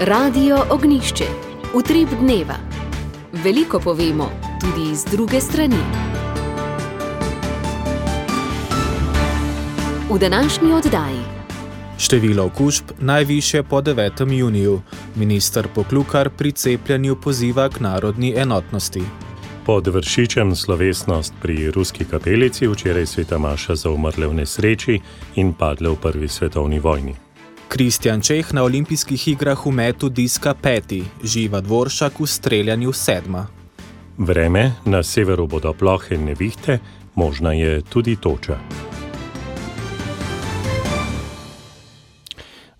Radio Ognjišče. Utrip dneva. Veliko povemo, tudi iz druge strani. V današnji oddaji. Število okužb najvišje po 9. juniju. Minister Poklukar pri cepljenju poziva k narodni enotnosti. Pod Vršičem slovesnost pri ruski kapelici, včeraj sveta maša za umrle v nesreči in padle v prvi svetovni vojni. Kristjan Čeh na olimpijskih igrah v metu diska 5, Živa Dvoršak v streljanju 7. Vreme, na severu bodo plohe nevihte, možna je tudi toča.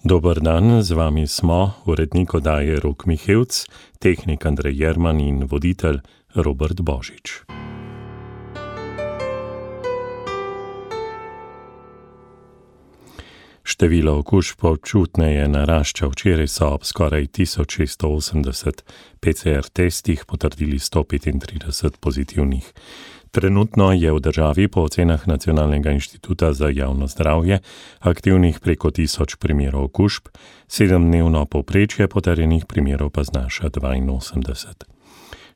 Dober dan, z vami smo, urednik oddaje Rok Mihevc, tehnik Andrej Jerman in voditelj Robert Božič. Število okužb občutneje narašča. Včeraj so ob skoraj 1680 PCR testih potrdili 135 pozitivnih. Trenutno je v državi po ocenah Nacionalnega inštituta za javno zdravje aktivnih preko 1000 primerov okužb, 7-dnevno povprečje potrjenih primerov pa znaša 82.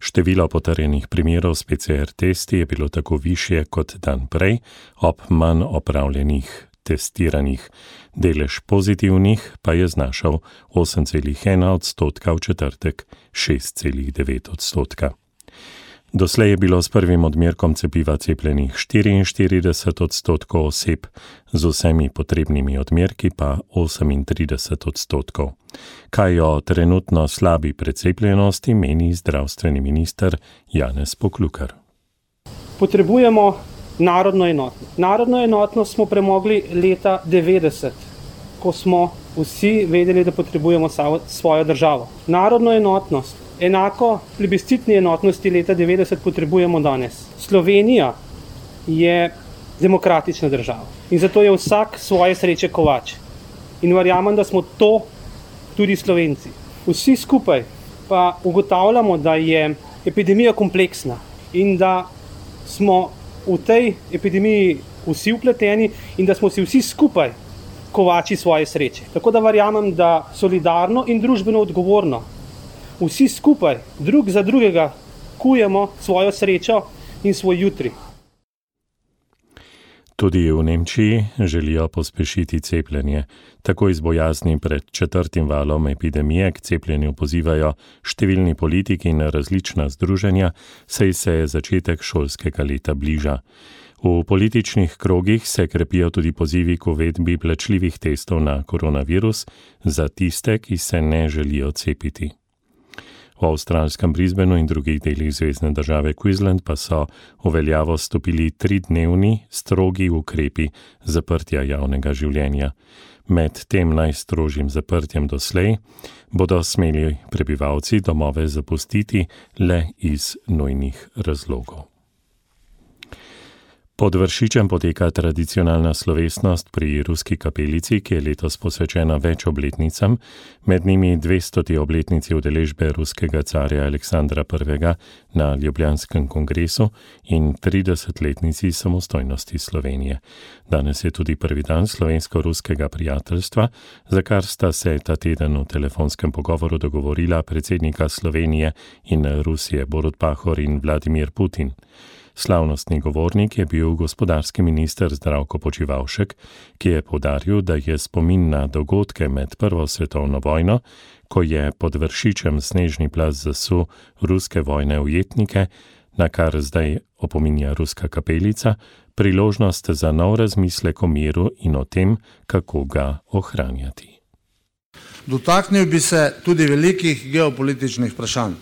Število potrjenih primerov s PCR testi je bilo tako višje kot dan prej, ob manj opravljenih testiranih. Delež pozitivnih pa je znašal 8,1%, v četrtek 6,9%. Doslej je bilo s prvim odmerkom cepiva cepljenih 44% oseb, z vsemi potrebnimi odmerki pa 38%. Kaj o trenutno slabi precepljenosti meni zdravstveni minister Janez Poklukar. Potrebujemo narodno enotnost. Narodno enotnost smo premogli leta 90, ko smo vsi vedeli, da potrebujemo svojo državo. Narodno enotnost, enako plebiscitni enotnosti leta 90 potrebujemo danes. Slovenija je demokratična država in zato je vsak svoje sreče kovač. In verjamem, da smo to tudi Slovenci. Vsi skupaj pa ugotavljamo, da je epidemija kompleksna in da smo v tej epidemiji vsi vpleteni in da smo si vsi skupaj kovači svoje sreče. Tako da verjamem, da solidarno in družbeno odgovorno vsi skupaj drug za drugega kujemo svojo srečo in svoj jutri. Tudi v Nemčiji želijo pospešiti cepljenje. Tako iz bojazni pred 4. valom epidemije k cepljenju pozivajo številni politiki in različna združenja, saj se začetek šolskega leta bliža. V političnih krogih se krepijo tudi pozivi k uvedbi plačljivih testov na koronavirus za tiste, ki se ne želijo cepiti. V avstralskem Brisbaneu in drugih delih zvezne države Queensland pa so v veljavo stopili 3-dnevni strogi ukrepi zaprtja javnega življenja. Med tem najstrožjim zaprtjem doslej bodo smeli prebivalci domove zapustiti le iz nujnih razlogov. Pod Vršičem poteka tradicionalna slovesnost pri ruski kapelici, ki je letos posvečena več obletnicam, med njimi 200. obletnici udeležbe ruskega carja Aleksandra I. na Ljubljanskem kongresu in 30-letnici samostojnosti Slovenije. Danes je tudi prvi dan slovensko-ruskega prijateljstva, za kar sta se ta teden v telefonskem pogovoru dogovorila predsednika Slovenije in Rusije Borut Pahor in Vladimir Putin. Slavnostni govornik je bil gospodarski minister Zdravko Počivalšek, ki je poudaril, da je spomin na dogodke med Prvo svetovno vojno, ko je pod Vršičem snežni plaz zasul ruske vojne ujetnike, na kar zdaj opominja ruska kapelica, priložnost za nov razmislek o miru in o tem, kako ga ohranjati. Dotaknil bi se tudi velikih geopolitičnih vprašanj.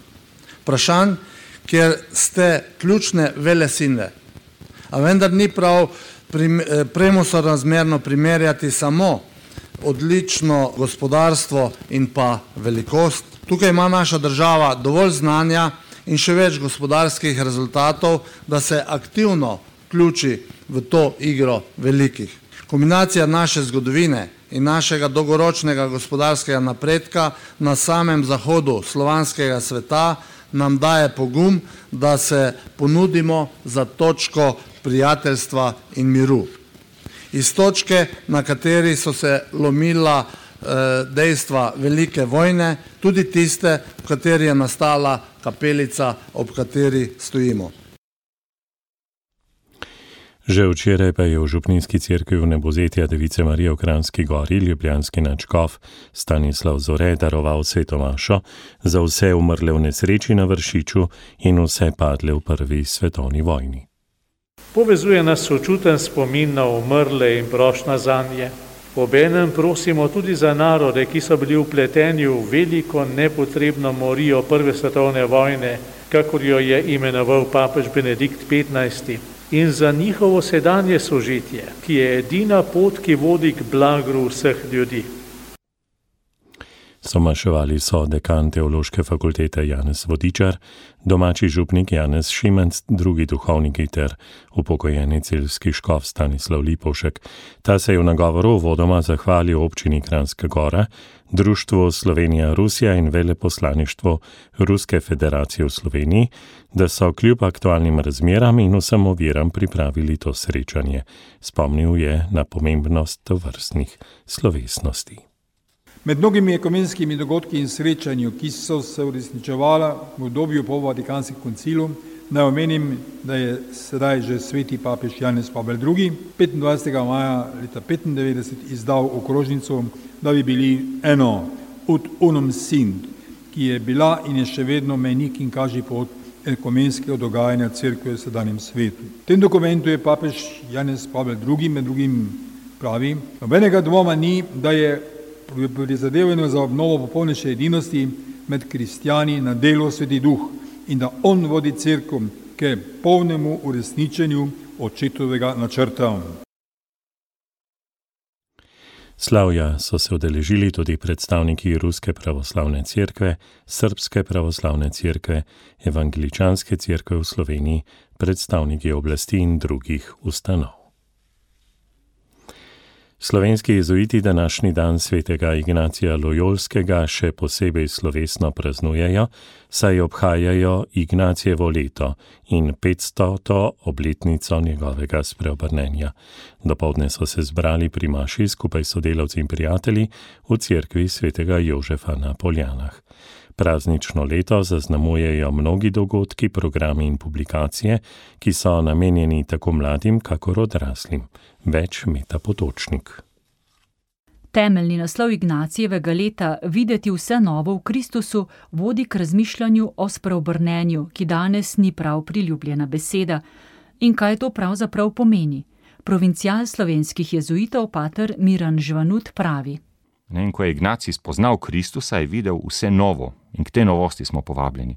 Vprašanj, kjer ste ključne velesile. A vendar ni prav premosorazmerno primerjati samo odlično gospodarstvo in pa velikost. Tukaj ima naša država dovolj znanja in še več gospodarskih rezultatov, da se aktivno vključi v to igro velikih. Kombinacija naše zgodovine in našega dolgoročnega gospodarskega napredka na samem zahodu slovanskega sveta nam daje pogum, da se ponudimo za točko prijateljstva in miru. Iz točke, na kateri so se lomila dejstva velike vojne, tudi tiste, v kateri je nastala kapelica, ob kateri stojimo. Že včeraj pa je v župnijski cerkvi Vnebozetja Device Marije v Kranjski Gori ljubljanski nadškof Stanislav Zore daroval sveto mašo za vse umrle v nesreči na Vršiču in vse padle v prvi svetovni vojni. Povezuje nas sočuten spomin na umrle in prošnja zanje. Obenem prosimo tudi za narode, ki so bili vpleteni v veliko nepotrebno morijo prve svetovne vojne, kakor jo je imenoval papež Benedikt XV. In za njihovo sedanje sožitje, ki je edina pot, ki vodi k blagru vseh ljudi. Somaševali so dekan Teološke fakultete Janez Vodičar, domači župnik Janez Šimenc, drugi duhovniki ter upokojeni celjski škof Stanislav Lipovšek. Ta se je v nagovoru uvodoma zahvalil občini Kranjska Gora, Društvu Slovenija-Rusija in veleposlaništvu Ruske federacije v Sloveniji, da so kljub aktualnim razmeram in vsem oviram pripravili to srečanje. Spomnil je na pomembnost tovrstnih slovesnosti. Med mnogimi ekumenskimi dogodki in srečanju, ki so se uresničevala v obdobju po Vatikanskem koncilu, naj omenim, da je sedaj že sveti papež Janez Pavel II. 25. maja leta 1995 izdal okrožnico, da bi bili eno ut unum sint, ki je bila in je še vedno mejnik in kaže pot ekumenskega dogajanja cerkve v sedanjem svetu. V tem dokumentu je papež Janez Pavel II. Med drugim pravi: nobenega dvoma ni, da je pri prizadevanju za obnovo popolnejše edinosti med kristjani na delu Sveti Duh in da on vodi cerkev k polnemu uresničenju očetovega načrta. Slavja so se udeležili tudi predstavniki Ruske pravoslavne cerkve, Srbske pravoslavne cerkve, Evangeličanske cerkve v Sloveniji, predstavniki oblasti in drugih ustanov. Slovenski jezuiti današnji dan svetega Ignacija Lojolskega še posebej slovesno praznujejo, saj obhajajo Ignacijevo leto in 500. obletnico njegovega spreobrnenja. Dopoldne so se zbrali pri maši skupaj s sodelavci in prijatelji v cerkvi svetega Jožefa na Poljanah. Praznično leto zaznamujejo mnogi dogodki, programi in publikacije, ki so namenjeni tako mladim, kakor odraslim. Več Meta Potočnik. Temeljni naslov Ignacijevega leta Videti vse novo v Kristusu vodi k razmišljanju o spreobrnenju, ki danes ni prav priljubljena beseda. In kaj to pravzaprav pomeni? Provincial slovenskih jezuitov pater Miran Žvanut pravi: In ko je Ignacij spoznal Kristusa, je videl vse novo in k tej novosti smo povabljeni.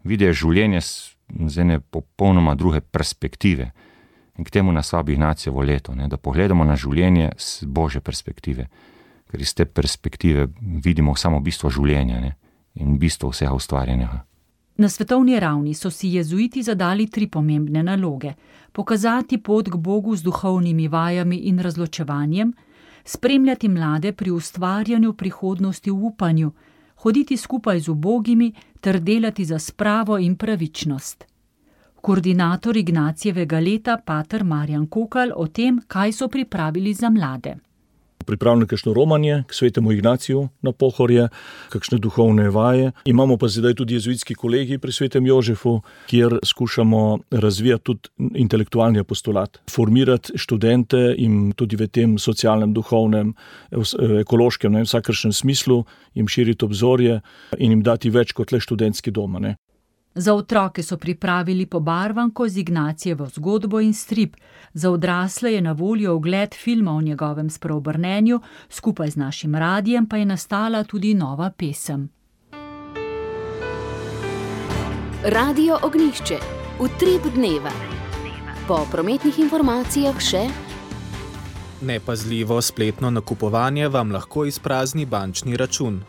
Videl je življenje z ene popolnoma druge perspektive. In k temu nas vabi Ignacijevo leto, da pogledamo na življenje z Božje perspektive, ker iz te perspektive vidimo samo bistvo življenja in bistvo vsega ustvarjenega. Na svetovni ravni so si jezuiti zadali 3 pomembne naloge: pokazati pot k Bogu z duhovnimi vajami in razločevanjem, spremljati mlade pri ustvarjanju prihodnosti v upanju, hoditi skupaj z ubogimi ter delati za spravo in pravičnost. Koordinator Ignacijevega leta, pater Marjan Kokal, o tem, kaj so pripravili za mlade. Pripravljeno kakšno romanje k svetemu Ignaciju na Pohorje, kakšne duhovne vaje. Imamo pa zdaj tudi jezuitski kolegi pri svetem Jožefu, kjer skušamo razvijati tudi intelektualni apostolat, formirati študente in tudi v tem socialnem, duhovnem, ekološkem, vsakršnem smislu jim širiti obzorje in jim dati več kot le študentski dom. Za otroke so pripravili pobarvanko z Ignacijevo zgodbo in strip. Za odrasle je na voljo ogled filma o njegovem spreobrnenju, skupaj z našim radijem pa je nastala tudi nova pesem. Radio Ognjišče. Utrip dneva. Po prometnih informacijah še: nepazljivo spletno nakupovanje vam lahko izprazni bančni račun.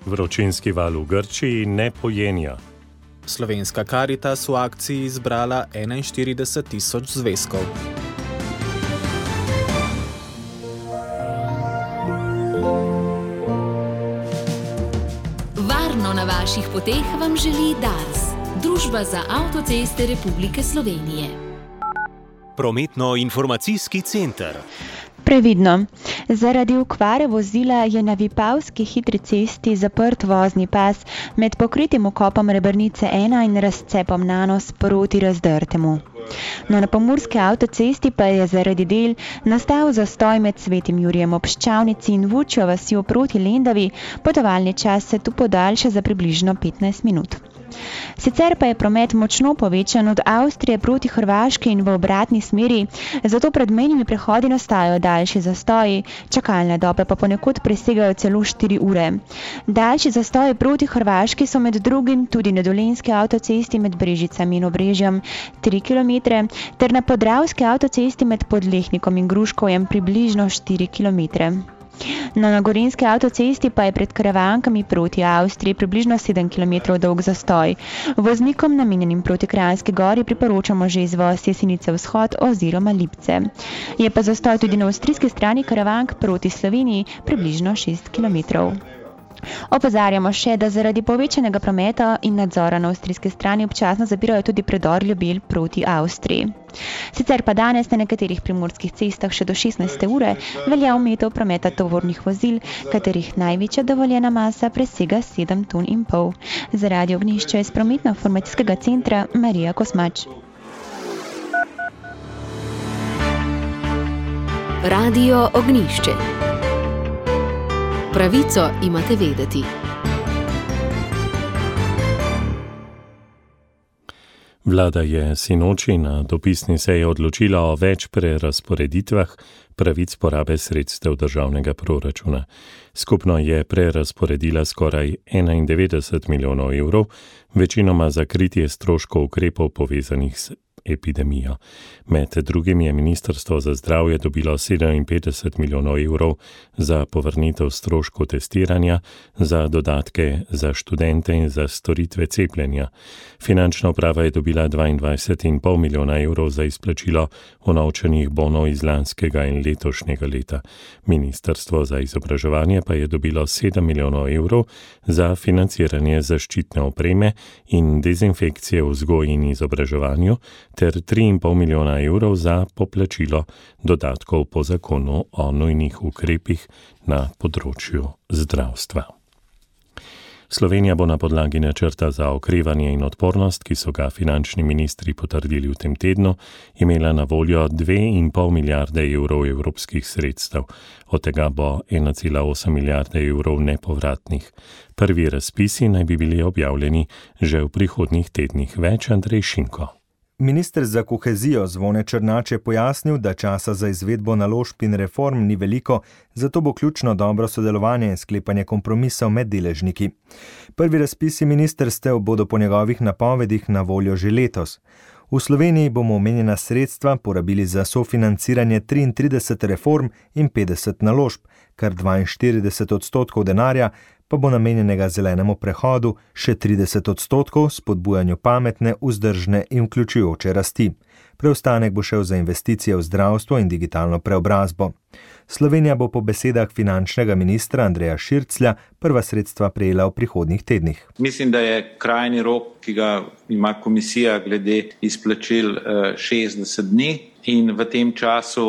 Vročinski val v Grčiji ne pojenja. Slovenska Karitas v akciji izbrala 41.000 zvezkov. Varno na vaših poteh vam želi Dars, Družba za avtoceste Republike Slovenije. Prometno-informacijski center. Previdno. Zaradi okvare vozila je na Vipavski hitri cesti zaprt vozni pas med pokritim vkopom Rebrnice 1 in razcepom Nanos proti Razdrtemu. No, na pomurski avtocesti pa je zaradi del nastal zastoj med Svetim Jurijem ob Ščavnici in Vučjo vasjo proti Lendavi, potovalni čas se tu podaljša za približno 15 minut. Sicer pa je promet močno povečan od Avstrije proti Hrvaški in v obratni smeri, zato pred mejnimi prehodi nastajajo daljši zastoji, čakalne dobe pa ponekod presegajo celo 4 ure. Daljši zastoji proti Hrvaški so med drugim tudi na dolenjski avtocesti med Brežicami in Obrežjem 3 km, ter na podravski avtocesti med Podlehnikom in Gruškovjem približno 4 km. Na gorenjski avtocesti pa je pred Karavankami proti Avstriji približno 7 km dolg zastoj. Voznikom namenjenim proti Kranjski Gori priporočamo že izvoz Jesenice vzhod oziroma Lipce. Je pa zastoj tudi na avstrijski strani Karavank proti Sloveniji približno 6 km. Opozarjamo še, da zaradi povečanega prometa in nadzora na avstrijski strani občasno zapirajo tudi predor Ljubelj proti Avstriji. Sicer pa danes na nekaterih primorskih cestah še do 16. ure velja omejitev prometa tovornih vozil, katerih največja dovoljena masa presega 7,5 ton. Za Radio Ognjišče iz prometno-informacijskega centra Marija Kosmač. Radio Ognjišče. Pravico imate vedeti. Vlada je sinoči na dopisni seji odločila o več prerazporeditvah pravic porabe sredstev državnega proračuna. Skupno je prerazporedila skoraj 91 milijonov evrov, večinoma za kritje stroškov ukrepov povezanih s epidemijo. Med drugim je Ministrstvo za zdravje dobilo 57 milijonov evrov za povrnitev stroškov testiranja, za dodatke za študente in za storitve cepljenja. Finančna uprava je dobila 22,5 milijona evrov za izplačilo unovčenih bonov iz lanskega in letošnjega leta. Ministrstvo za izobraževanje pa je dobilo 7 milijonov evrov za financiranje zaščitne opreme in dezinfekcije v vzgoji in izobraževanju, ter 3,5 milijona evrov za poplačilo dodatkov po zakonu o nujnih ukrepih na področju zdravstva. Slovenija bo na podlagi načrta za okrevanje in odpornost, ki so ga finančni ministri potrdili v tem tednu, imela na voljo 2,5 milijarde evrov evropskih sredstev. Od tega bo 1,8 milijarde evrov nepovratnih. Prvi razpisi naj bi bili objavljeni že v prihodnjih tednih. Več Andrej Šinko. Minister za kohezijo Zvone Černač je pojasnil, da časa za izvedbo naložb in reform ni veliko, zato bo ključno dobro sodelovanje in sklepanje kompromisov med deležniki. Prvi razpisi ministrstev bodo po njegovih napovedih na voljo že letos. V Sloveniji bomo omenjena sredstva porabili za sofinanciranje 33 reform in 50 naložb, kar 42% denarja pa bo namenjenega zelenemu prehodu, še 30% spodbujanju pametne, vzdržne in vključujoče rasti. Preostanek bo šel za investicije v zdravstvo in digitalno preobrazbo. Slovenija bo po besedah finančnega ministra Andreja Širclja prva sredstva prejela v prihodnjih tednih. Mislim, da je krajni rok, ki ga ima komisija glede izplačil 60 dni in v tem času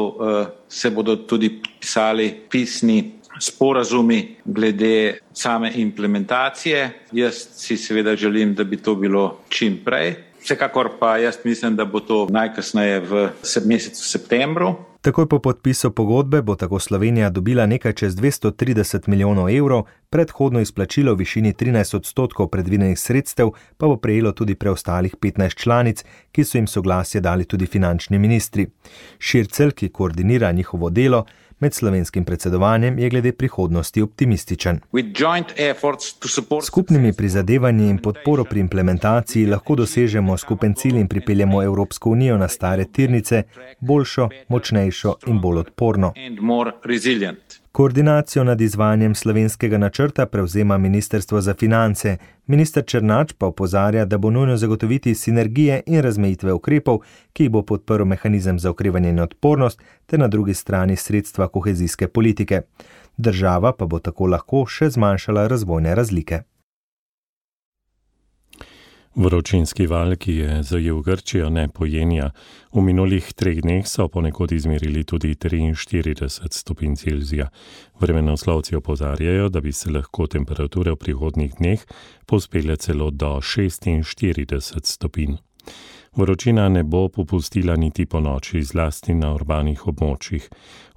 se bodo tudi pisali pisni sporazumi glede same implementacije. Jaz si seveda želim, da bi to bilo čim prej. Vsekakor pa jaz mislim, da bo to najkasneje v mesecu septembru. Takoj po podpisu pogodbe bo tako Slovenija dobila nekaj čez 230 milijonov evrov, predhodno izplačilo v višini 13% predvidenih sredstev pa bo prejelo tudi preostalih 15 članic, ki so jim soglasje dali tudi finančni ministri. Šircelj, ki koordinira njihovo delo, med slovenskim predsedovanjem je glede prihodnosti optimističen. Skupnimi prizadevanji in podporo pri implementaciji lahko dosežemo skupen cilj in pripeljemo Evropsko unijo na stare tirnice, boljšo, močnejšo in bolj odporno. Koordinacijo nad izvajanjem slovenskega načrta prevzema Ministrstvo za finance. Minister Černač pa opozarja, da bo nujno zagotoviti sinergije in razmejitve ukrepov, ki jih bo podprl mehanizem za okrevanje in odpornost, ter na drugi strani sredstva kohezijske politike. Država pa bo tako lahko še zmanjšala razvojne razlike. Vročinski val, ki je zajel Grčijo, ne pojenja. V minulih 3 dneh so ponekod izmerili tudi 43 stopinj Celzija. Vremenoslovci opozarjajo, da bi se lahko temperature v prihodnjih dneh povzpele celo do 46 stopinj. Vročina ne bo popustila niti po noči, zlasti na urbanih območjih.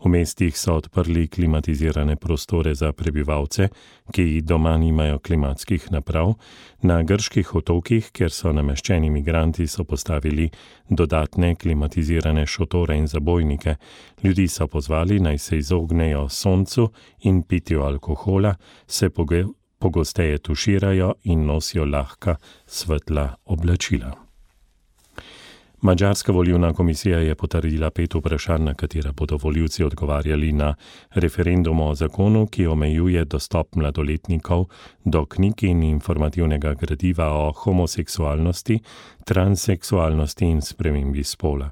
V mestih so odprli klimatizirane prostore za prebivalce, ki doma nimajo klimatskih naprav. Na grških otokih, kjer so nameščeni migranti, so postavili dodatne klimatizirane šotore in zabojnike. Ljudi so pozvali, naj se izognejo soncu in pitju alkohola, se pogosteje tuširajo in nosijo lahka svetla oblačila. Madžarska volilna komisija je potrdila 5 vprašanj, na katera bodo volivci odgovarjali na referendumu o zakonu, ki omejuje dostop mladoletnikov do knjig in informativnega gradiva o homoseksualnosti, transseksualnosti in spremembi spola.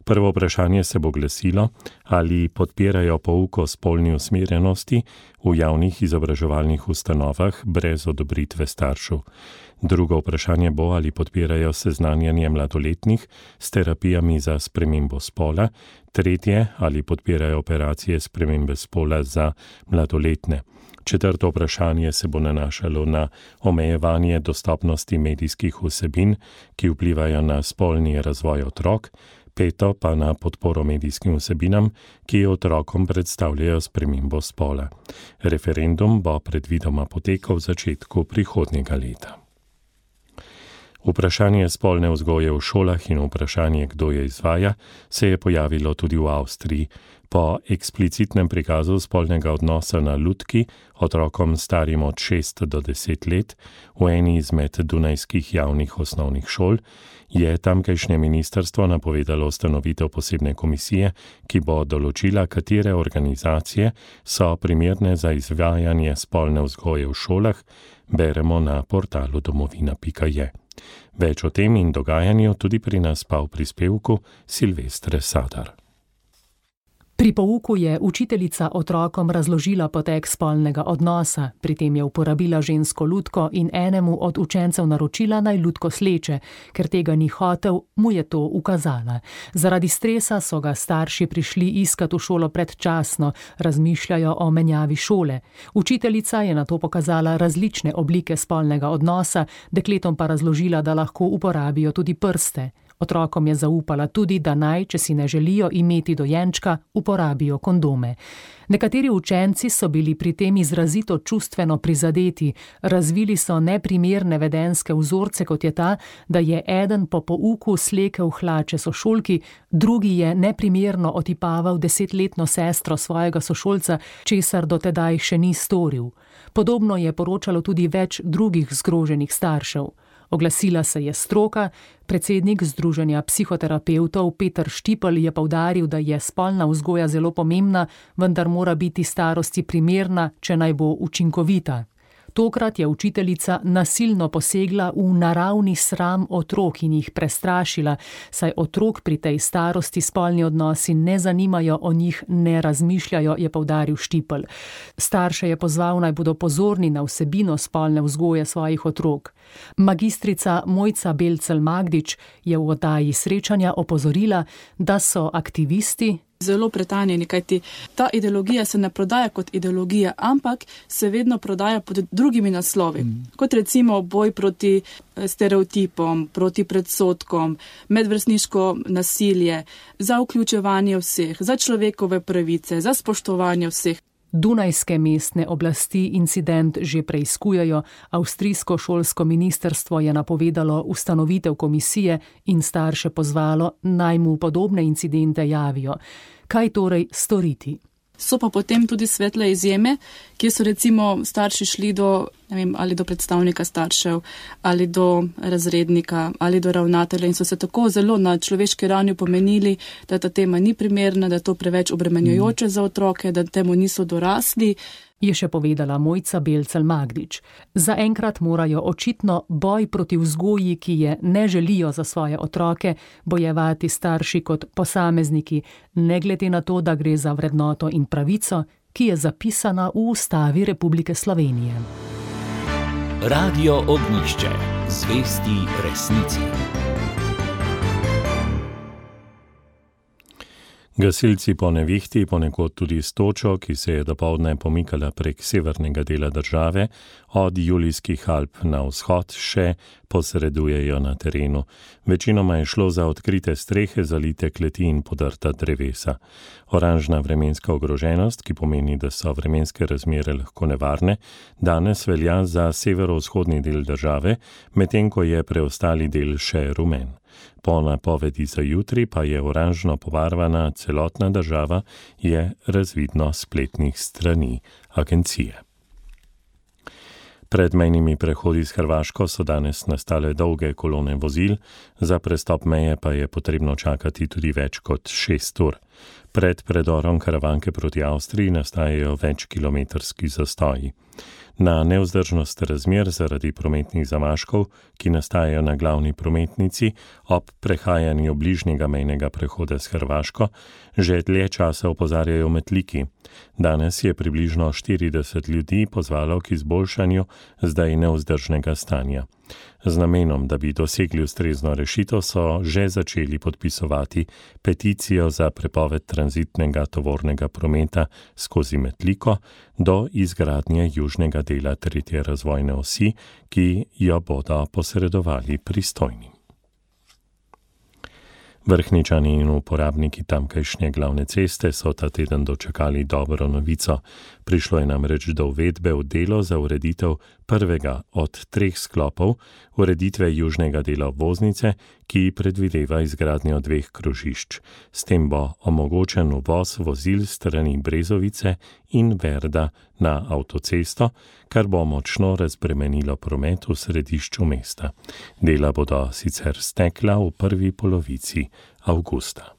Prvo vprašanje se bo glasilo, ali podpirajo pouk o spolni usmerjenosti v javnih izobraževalnih ustanovah brez odobritve staršev. Drugo vprašanje bo, ali podpirajo seznanjanje mladoletnih s terapijami za spremembo spola. Tretje, ali podpirajo operacije spremembe spola za mladoletne. Četrto vprašanje se bo nanašalo na omejevanje dostopnosti medijskih vsebin, ki vplivajo na spolni razvoj otrok. Peto pa na podporo medijskim vsebinam, ki otrokom predstavljajo spremembo spola. Referendum bo predvidoma potekal v začetku prihodnjega leta. Vprašanje spolne vzgoje v šolah in vprašanje, kdo je izvaja, se je pojavilo tudi v Avstriji. Po eksplicitnem prikazu spolnega odnosa na lutki otrokom starim od 6 do 10 let v eni izmed dunajskih javnih osnovnih šol je tamkajšnje ministrstvo napovedalo ustanovitev posebne komisije, ki bo določila, katere organizacije so primerne za izvajanje spolne vzgoje v šolah, beremo na portalu domovina.je. Več o tem in dogajanju tudi pri nas pa v prispevku Silvestre Sadar. Pri pouku je učiteljica otrokom razložila potek spolnega odnosa, pri tem je uporabila žensko lutko in enemu od učencev naročila, naj lutko sleče, ker tega ni hotel, mu je to ukazala. Zaradi stresa so ga starši prišli iskat v šolo predčasno, razmišljajo o menjavi šole. Učiteljica je nato pokazala različne oblike spolnega odnosa, dekletom pa razložila, da lahko uporabijo tudi prste. Otrokom je zaupala tudi, da naj, če si ne želijo imeti dojenčka, uporabijo kondome. Nekateri učenci so bili pri tem izrazito čustveno prizadeti, razvili so neprimerne vedenjske vzorce, kot je ta, da je eden po pouku slekel hlače sošolki, drugi je neprimerno otipaval 10-letno sestro svojega sošolca, česar do tedaj še ni storil. Podobno je poročalo tudi več drugih zgroženih staršev. Oglasila se je stroka, predsednik Združenja psihoterapevtov Peter Štipelj je poudaril, da je spolna vzgoja zelo pomembna, vendar mora biti starosti primerna, če naj bo učinkovita. Tokrat je učiteljica nasilno posegla v naravni sram otrok in jih prestrašila, saj otrok pri tej starosti spolni odnosi ne zanimajo, o njih ne razmišljajo, je poudaril Štipelj. Starše je pozval, naj bodo pozorni na vsebino spolne vzgoje svojih otrok. Magistrica Mojca Belcel-Magdič je v oddaji Srečanja opozorila, da so aktivisti zelo pretanjeni, kajti ta ideologija se ne prodaja kot ideologija, ampak se vedno prodaja pod drugimi naslovi. Kot recimo boj proti stereotipom, proti predsodkom, medvrstniško nasilje, za vključevanje vseh, za človekove pravice, za spoštovanje vseh. Dunajske mestne oblasti incident že preiskujejo, avstrijsko šolsko ministrstvo je napovedalo ustanovitev komisije in starše pozvalo, naj mu podobne incidente javijo. Kaj torej storiti? So pa potem tudi svetle izjeme, kjer so recimo starši šli do, ali do predstavnika staršev, ali do razrednika, ali do ravnatelja in so se tako zelo na človeški ravni pomenili, da ta tema ni primerna, da je to preveč obremenjujoče za otroke, da temu niso dorasli. Je še povedala Mojca Belcel-Magdič. Zaenkrat morajo očitno boj proti vzgoji, ki je ne želijo za svoje otroke, bojevati starši kot posamezniki, ne glede na to, da gre za vrednoto in pravico, ki je zapisana v Ustavi Republike Slovenije. Radio Ognjišče. Zvesti resnici. Gasilci po nevihti, ponekod tudi s točo, ki se je dopoldne pomikala prek severnega dela države, od Julijskih Alp na vzhod še posredujejo na terenu. Večinoma je šlo za odkrite strehe, zalite kleti in podrta drevesa. Oranžna vremenska ogroženost, ki pomeni, da so vremenske razmere lahko nevarne, danes velja za severovzhodni del države, medtem ko je preostali del še rumen. Po napovedi za jutri pa je oranžno pobarvana celotna država, je razvidno spletnih strani agencije. Pred mejnimi prehodi s Hrvaško so danes nastale dolge kolone vozil, za prestop meje pa je potrebno čakati tudi več kot 6 ur. Pred predorom Karavanke proti Avstriji nastajajo večkilometrski zastoji. Na nevzdržnost razmer zaradi prometnih zamaškov, ki nastajajo na glavni prometnici ob prehajanju bližnjega mejnega prehoda s Hrvaško, že dlje časa opozarjajo Metliki. Danes je približno 40 ljudi pozvalo k izboljšanju zdaj nevzdržnega stanja. Z namenom, da bi dosegli ustrezno rešitev, so že začeli podpisovati peticijo za prepoved tranzitnega tovornega prometa skozi Metliko do izgradnje južnega dela 3. razvojne osi, ki jo bodo posredovali pristojni. Vrhničani in uporabniki tamkajšnje glavne ceste so ta teden dočakali dobro novico. Prišlo je namreč do uvedbe v delo za ureditev prvega od 3 sklopov ureditve južnega dela obvoznice, ki predvideva izgradnjo 2 krožišč. S tem bo omogočen uvoz vozil strani Brezovice in Verda na avtocesto, kar bo močno razbremenilo promet v središču mesta. Dela bodo sicer stekla v prvi polovici avgusta.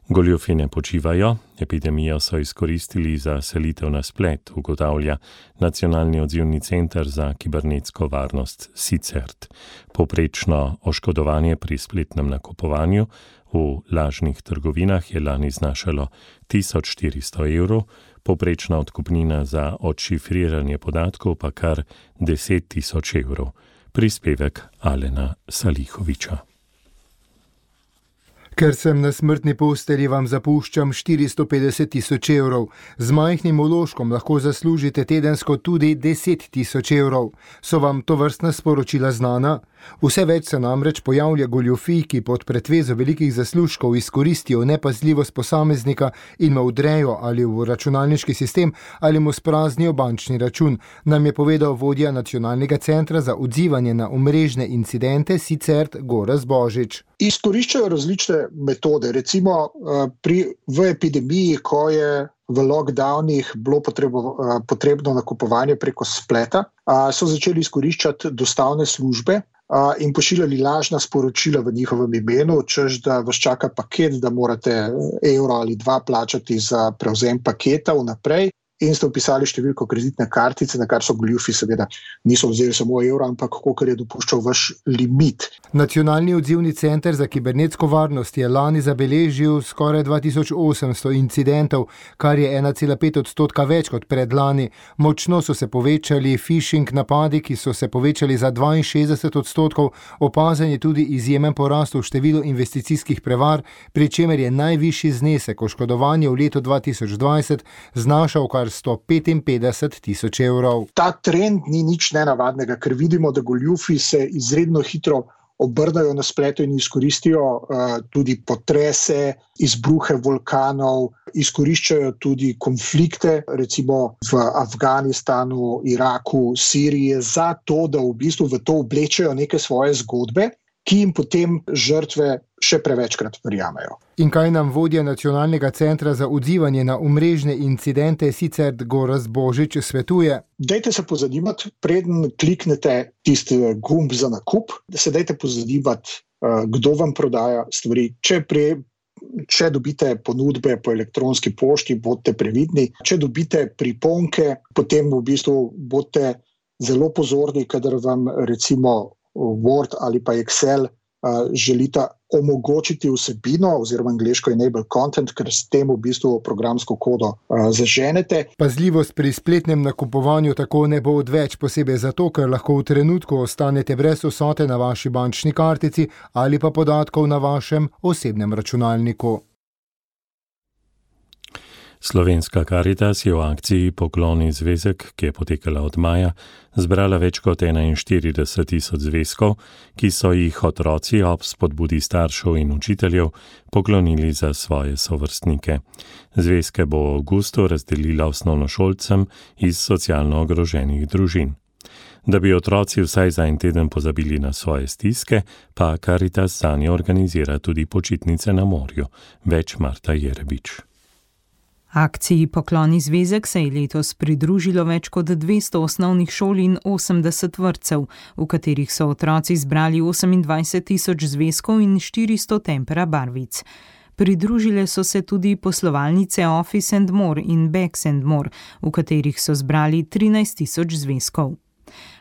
Goljufi ne počivajo, epidemijo so izkoristili za selitev na splet, ugotavlja Nacionalni odzivni center za kibernetsko varnost SICERT. Povprečno oškodovanje pri spletnem nakupovanju v lažnih trgovinah je lani znašalo 1400 evrov, povprečna odkupnina za odšifriranje podatkov pa kar 10 000 evrov. Prispevek Alena Salihoviča. Ker sem na smrtni postelji, vam zapuščam 450 000 evrov. Z majhnim vložkom lahko zaslužite tedensko tudi 10 000 evrov. So vam tovrstna sporočila znana? Vse več se namreč pojavlja goljufij, ki pod pretvezo velikih zaslužkov izkoristijo nepazljivost posameznika in mu vdrejo ali v računalniški sistem ali mu spraznijo bančni račun, nam je povedal vodja Nacionalnega centra za odzivanje na omrežne incidente SICERT Gorazd Božič. Izkoriščajo različne metode, recimo v epidemiji, ko je v lockdownih bilo potrebno nakupovanje preko spleta, so začeli izkoriščati dostavne službe in pošiljali lažna sporočila v njihovem imenu, češ da vas čaka paket, da morate evro ali 2 plačati za prevzem paketa vnaprej. In ste vpisali številko kreditne kartice, na kar so goljufi seveda niso vzeli samo evro, ampak kolikor je dopuščal vaš limit. Nacionalni odzivni center za kibernetsko varnost je lani zabeležil skoraj 2800 incidentov, kar je 1,5% več kot predlani. Močno so se povečali phishing napadi, ki so se povečali za 62%, opazen je tudi izjemen porast v številu investicijskih prevar, pri čemer je najvišji znesek oškodovanja v letu 2020 znašal kar 155 000 evrov. Ta trend ni nič nenavadnega, ker vidimo, da goljufi se izredno hitro obrnajo na spletu in izkoristijo tudi potrese, izbruhe vulkanov, izkoriščajo tudi konflikte, recimo v Afganistanu, Iraku, Siriji, za to, da v bistvu v to oblečejo neke svoje zgodbe, ki jim potem žrtve še prevečkrat verjamejo. In kaj nam vodja Nacionalnega centra za odzivanje na omrežne incidente SICERT Gorazd Božič svetuje? Dajte se pozanimati, preden kliknete tisti gumb za nakup, da se dajte pozanimati, kdo vam prodaja stvari. Če dobite ponudbe po elektronski pošti, bodite previdni. Če dobite priponke, potem v bistvu bodite zelo pozorni, kadar vam recimo Word ali pa Excel želita omogočiti vsebino oziroma angleško enable content, ker s tem v bistvu programsko kodo zaženete. Pazljivost pri spletnem nakupovanju tako ne bo odveč, posebej zato, ker lahko v trenutku ostanete brez vsote na vaši bančni kartici ali pa podatkov na vašem osebnem računalniku. Slovenska Karitas je v akciji Pokloni zvezek, ki je potekala od maja, zbrala več kot 41.000 zvezkov, ki so jih otroci ob spodbudi staršev in učiteljev poklonili za svoje sovrstnike. Zvezke bo v avgustu razdelila osnovnošolcem iz socialno ogroženih družin. Da bi otroci vsaj za en teden pozabili na svoje stiske, pa Karitas zanje organizira tudi počitnice na morju. Več Marta Jerebič. Akciji Pokloni zvezek se je letos pridružilo več kot 200 osnovnih šol in 80 vrtcev, v katerih so otroci zbrali 28.000 zvezkov in 400 tempera barvic. Pridružile so se tudi poslovalnice Office and More in Bags and More, v katerih so zbrali 13.000 zvezkov.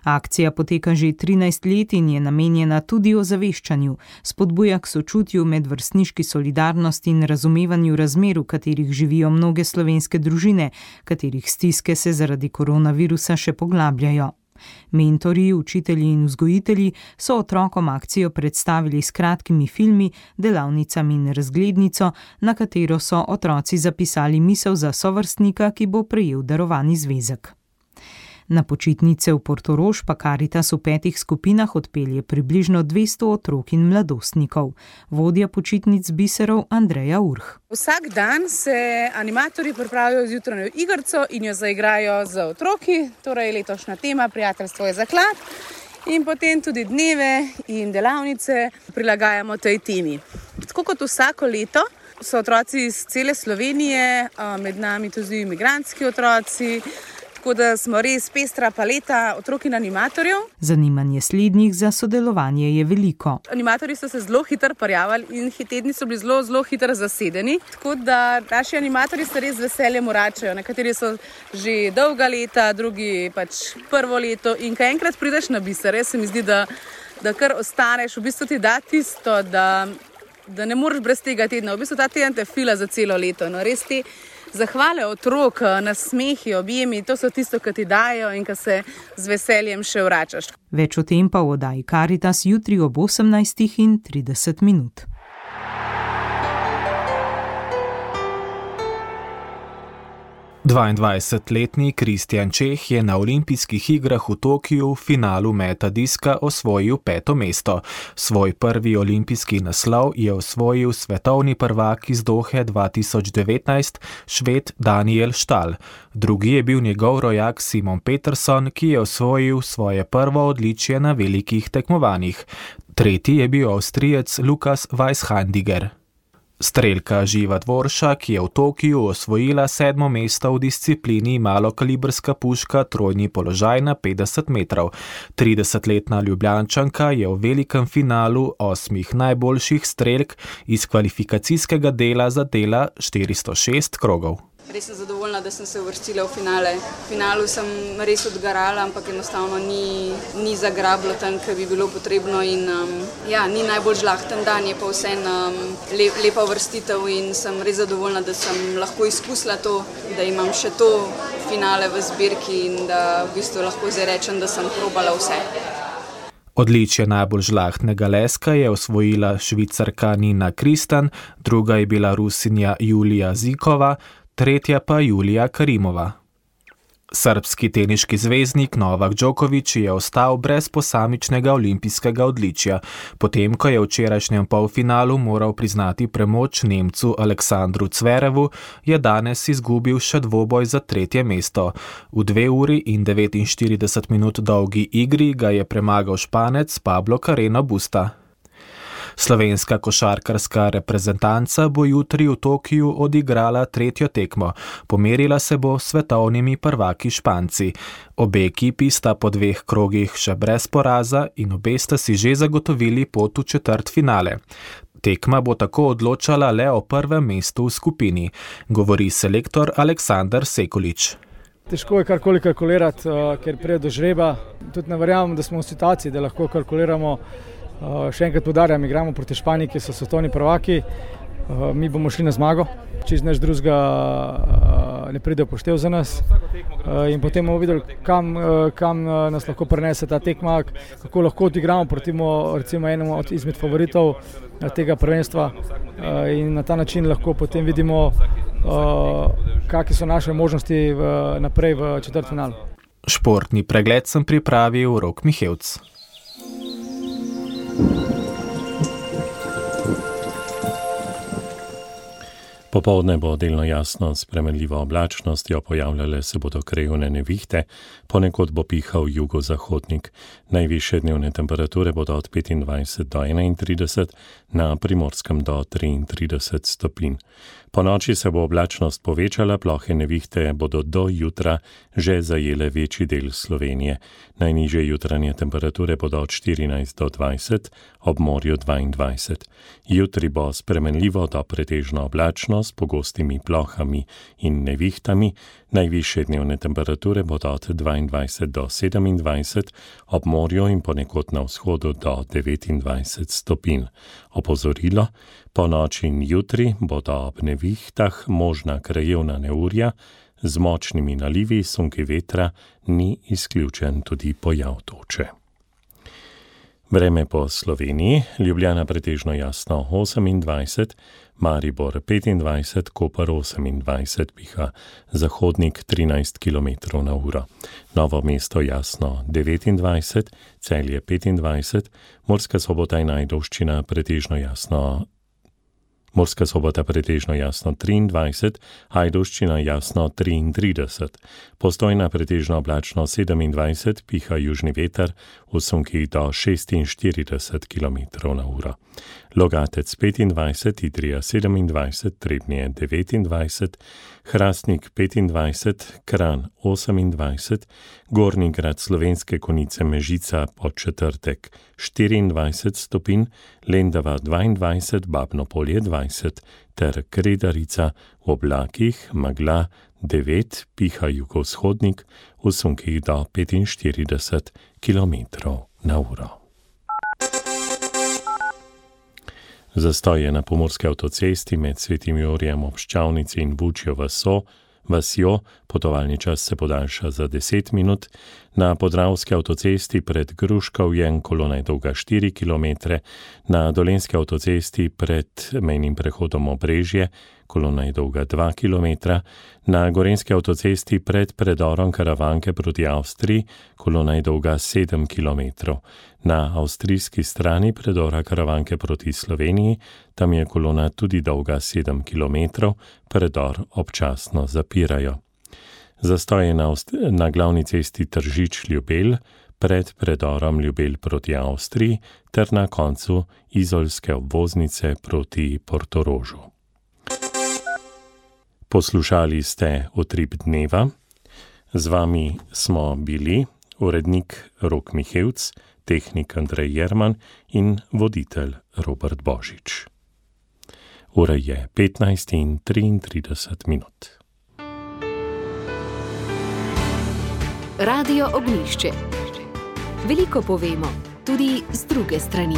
Akcija poteka že 13 let in je namenjena tudi ozaveščanju, spodbuja k sočutju, medvrstniški solidarnosti in razumevanju razmer, v katerih živijo mnoge slovenske družine, katerih stiske se zaradi koronavirusa še poglabljajo. Mentorji, učitelji in vzgojitelji so otrokom akcijo predstavili s kratkimi filmi, delavnicami in razglednico, na katero so otroci zapisali misel za sovrstnika, ki bo prejel darovani zvezek. Na počitnice v Portorož pa Karitas v 5 skupinah odpelje približno 200 otrok in mladostnikov. Vodja počitnic biserov Andreja Urh. Vsak dan se animatorji pripravijo z jutranjo igrico in jo zaigrajo z otroki, torej letošnja tema Prijateljstvo je zaklad, in potem tudi dneve in delavnice prilagajamo tej temi. Tako kot vsako leto so otroci iz cele Slovenije, med nami tudi imigrantski otroci, tako da smo res pestra paleta otrok in animatorjev. Zanimanje slednjih za sodelovanje je veliko. Animatorji so se zelo hitro prijavili in tedni so bili zelo hitro zasedeni, tako da naši animatorji se res z veseljem vračajo. Nekateri so že dolga leta, drugi pač prvo leto, in ko enkrat prideš na biser, res se mi zdi, da kar ostaneš, v bistvu ti da tisto, da ne moreš brez tega tedna. V bistvu ta teden te fila za celo leto. No, res te zahvale otrok, nasmehi, objemi, to so tisto, ki ti dajo in ki se z veseljem še vračaš. Več o tem pa v oddaji Karitas jutri ob 18:30. 22-letni Kristjan Čeh je na olimpijskih igrah v Tokiu v finalu meta diska osvojil 5. mesto. Svoj prvi olimpijski naslov je osvojil svetovni prvak iz Dohe 2019, Šved Daniel Stahl. Drugi je bil njegov rojak Simon Peterson, ki je osvojil svoje prvo odličje na velikih tekmovanjih. Tretji je bil Avstrijec Lukas Weishandiger. Strelka Živa Dvorša, ki je v Tokiju osvojila 7. mesto v disciplini malokalibrska puška trojni položaj na 50 metrov. 30-letna Ljubljančanka je v velikem finalu 8 najboljših strelk iz kvalifikacijskega dela zadela 406 krogov. Res sem zadovoljna, da sem se uvrstila v finale. V finalu sem res odgarala, ampak enostavno ni zagrablo tam, kar bi bilo potrebno. In, ni najbolj žlahten dan, je pa vseeno lepa uvrstitev in sem res zadovoljna, da sem lahko izkusila to, da imam še to finale v zbirki in da v bistvu lahko zdaj rečem, da sem probala vse. Odličje najbolj žlahtnega leska je osvojila Švicarka Nina Kristan, druga je bila Rusinja Julija Zikova, tretja pa Julija Karimova. Srbski teniški zvezdnik Novak Djokovic je ostal brez posamičnega olimpijskega odličja. Potem, ko je v včerajšnjem polfinalu moral priznati premoč Nemcu Aleksandru Zverevu, je danes izgubil še dvoboj za 3. mesto. V 2 uri in 49 minut dolgi igri ga je premagal Španec Pablo Carreno Busta. Slovenska košarkarska reprezentanca bo jutri v Tokiju odigrala 3. tekmo. Pomerila se bo s svetovnimi prvaki Španci. Obe ekipi sta po 2 krogih še brez poraza in obe sta si že zagotovili pot v četrtfinale. Tekma bo tako odločala le o prvem mestu v skupini, govori selektor Aleksander Sekulič. Težko je karkoli kalkulirati, ker prije do žreba. Tudi ne verjamem, da smo v situaciji, da lahko kalkuliramo Še enkrat poudarjam, igramo proti Španiji, ki so svetovni prvaki. Mi bomo šli na zmago, čez nič drugega ne pride upoštev za nas. In potem bomo videli, kam nas lahko prenese ta tekma, kako lahko odigramo proti recimo enemu izmed favoritov tega prvenstva. In na ta način lahko potem vidimo, kakšne so naše možnosti naprej v četrtfinalu. Športni pregled sem pripravil Rok Mihevc. Popoldne bo delno jasno s spremenljivo oblačnostjo, pojavljale se bodo krajevne nevihte, ponekod bo pihal jugozahodnik. Najvišje dnevne temperature bodo od 25 do 31, na Primorskem do 33 stopinj. Po noči se bo oblačnost povečala, plohe nevihte bodo do jutra že zajele večji del Slovenije. Najnižje jutranje temperature bodo od 14 do 20, ob morju 22. Jutri bo spremenljivo do pretežno oblačno s pogostimi plohami in nevihtami. Najvišje dnevne temperature bodo od 22 do 27, ob morju in ponekod na vzhodu do 29 stopinj. Opozorilo, po noči in jutri bodo ob nevihtah možna krajevna neurja, z močnimi nalivi sunki vetra ni izključen tudi pojav toče. Vreme po Sloveniji, Ljubljana pretežno jasno 28, Maribor 25, Koper 28, piha zahodnik 13 km na uro. Novo mesto jasno 29, Celje 25, Murska Sobota in Ajdovščina pretežno jasno 23, Ajdovščina jasno 33, Postojna pretežno oblačno 27, piha južni veter v sunkih do 46 km na uro. Logatec 25, Idrija 27, Trebnje 29, Hrastnik 25, Kranj 28, Gornji Grad Slovenske Konjice Mežica po četrtek 24 stopinj, Lendava 22, Babno Polje 20 ter Kredarica v oblakih, megla 9, piha jugovzhodnik v sunkih do 45 km na uro. Zastoj je na pomurski avtocesti med Svetim Jurjem ob Ščavnici in Bučjo vasjo, potovalni čas se podaljša za 10 minut. Na Podravski avtocesti pred Gruškovjem kolona je dolga 4 km, na Dolenjski avtocesti pred mejnim prehodom Obrežje kolona je dolga 2 km, na Gorenjski avtocesti pred predorom Karavanke proti Avstriji kolona je dolga 7 km. Na avstrijski strani predora Karavanke proti Sloveniji, tam je kolona tudi dolga 7 km, predor občasno zapirajo. Zastoj je na glavni cesti Tržič-Ljubelj, pred predorom Ljubelj proti Avstriji ter na koncu izolske obvoznice proti Portorožu. Poslušali ste Utrip dneva. Z vami smo bili urednik Rok Mihevc, tehnik Andrej Jerman in voditelj Robert Božič. Ura je 15:33. Radio Ognjišče. Veliko povemo, tudi z druge strani.